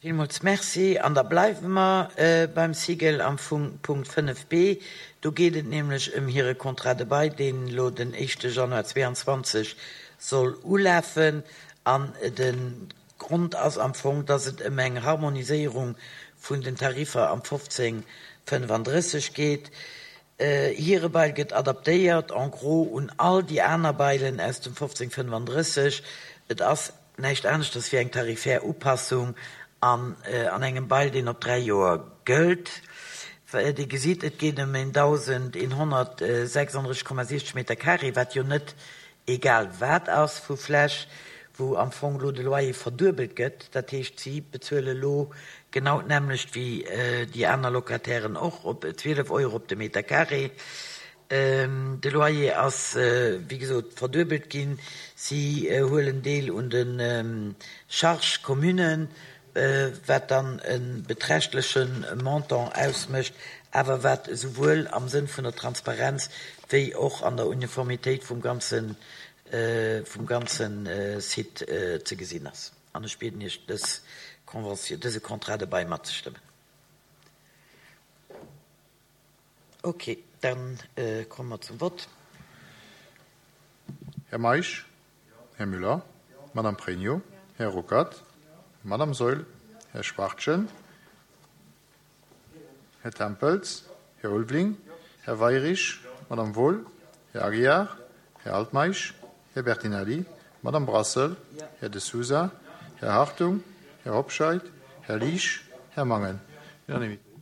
Villmools Merci. An da bleiwe mer beim SIGEL am Fong, Punkt 5b. Do geet et nämlech ëm hire Contrat de bail, deen elo den éischte Januar 22 soll ulafen. An de Grond ass am Fong, dass et ëm eng Harmoniséierung vun den Tariffer am 1535 geet. Hire Bail gëtt adaptéiert en gros un all déi aner Bailen aus dem 1535. Et ass näischt aneschters wéi eng tarifär Upassung an an engem Bail, deen op 3 Joer gëllt. Dir gesitt, et geet ëm 1.136,60 Meter carré, wat jo net egal wat ass vu Fläch, wou am Fong elo de Loyer verduebelt gëtt. Dat heescht, si bezuele elo genau d'nämmlecht wéi déi aner Locatairen och, op 12 Euro op de Meter carré. De Loyer ass, wéi gesot, verduebelt ginn. Si huelen Deel un de Charges communes, wat dann e beträchtleche Montant ausmécht, awer wat esouwuel am Sënn vun der Transparenz wéi och an der Uniformitéit vum ganze vum ganze Site ze gesinn ass. An ech bieden Iech, dës Convention, dëse Contrat de bail matzestëmmen. Ok, da komme mer zum Vott. Här Meisch? Här Müller? Madame Pregno? Här Ruckert? Madame Saeul? Här Schwachtgen? Här Tempels? Här Ulveling? Här Weirich? Madame Wohl? Här Aguiar? Här Altmeisch? Här Bertinelli? Madame Brassel? Här De Sousa? Här Hartung? Här Hobscheit? Här Liesch? Här Mangen? Unanimité.